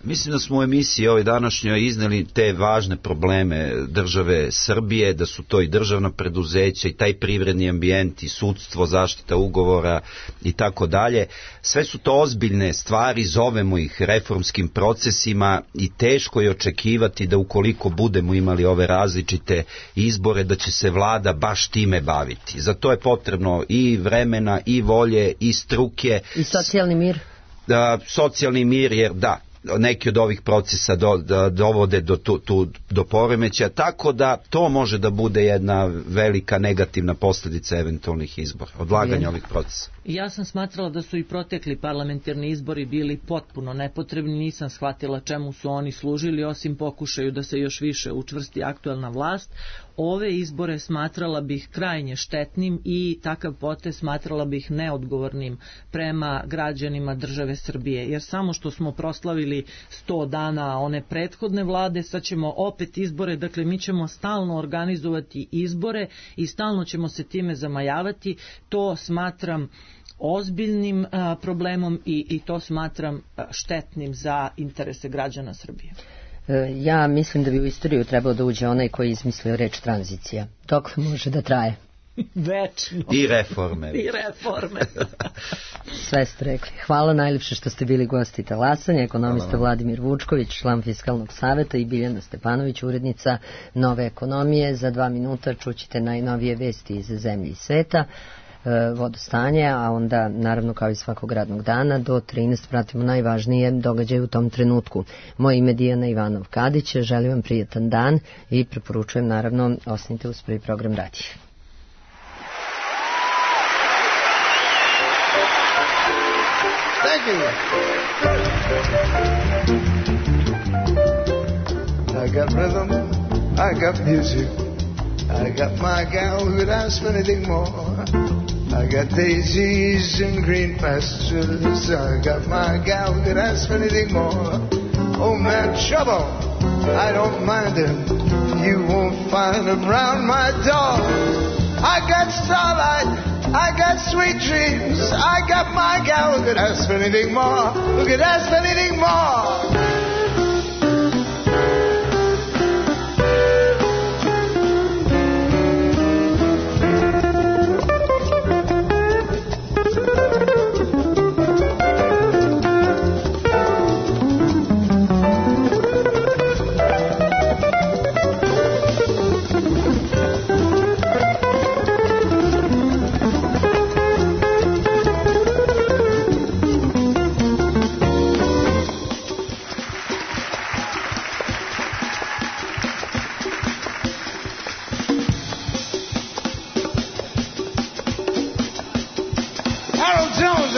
Mislim da smo u emisiji ovoj današnjoj izneli te važne probleme države Srbije, da su to i državna preduzeća i taj privredni ambijent i sudstvo, zaštita ugovora i tako dalje. Sve su to ozbiljne stvari, zovemo ih reformskim procesima i teško je očekivati da ukoliko budemo imali ove različite izbore da će se vlada baš time baviti. Za to je potrebno i vremena i volje i struke. I socijalni mir? Socijalni mir, jer da, neki od ovih procesa dovode do poremeća, tako da to može da bude jedna velika negativna posljedica eventualnih izbora, odlaganja ovih procesa. Ja sam smatrala da su i protekli parlamentarni izbori bili potpuno nepotrebni, nisam shvatila čemu su oni služili, osim pokušaju da se još više učvrsti aktuelna vlast. Ove izbore smatrala bih krajnje štetnim i takav potez smatrala bih neodgovornim prema građanima države Srbije, jer samo što smo proslavili 100 dana one prethodne vlade, sad ćemo opet izbore, dakle mi ćemo stalno organizovati izbore i stalno ćemo se time zamajavati. To smatram ozbiljnim problemom i to smatram štetnim za interese građana Srbije. Ja mislim da bi u istoriju trebao da uđe onaj koji je izmislio reč tranzicija. Dok može da traje? Večno. I reforme. I reforme. Sve ste rekli. Hvala najljepše što ste bili gosti talasanja, ekonomista Vladimir Vučković, član Fiskalnog saveta, i Biljana Stepanović, urednica Nove ekonomije. Za 2 minuta čućete najnovije vesti iz zemlje i sveta, vodostanje, a onda naravno kao i svakog radnog dana do 13 pratimo najvažnije događaje u tom trenutku. Moje ime je Dijana Ivanov-Kadić, želim vam prijatan dan i preporučujem naravno ostanite uz prvi program radija. Thank you. I got rhythm, I got music, I got my gal who could ask for anything more. I got daisies and green pastures, I got my gal who could ask for anything more. Oh man, trouble, I don't mind him, you won't find him round my door. I got starlight, I got sweet dreams, I got my gal who could ask for anything more, who could ask for anything more.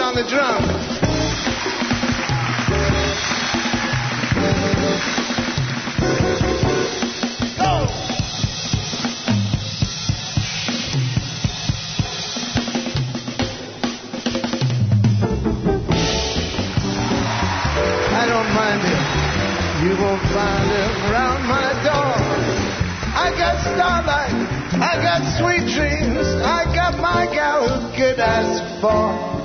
The drum. Go! I don't mind him. You won't find him around my door. I got starlight. I got sweet dreams. I got my gal who could ask for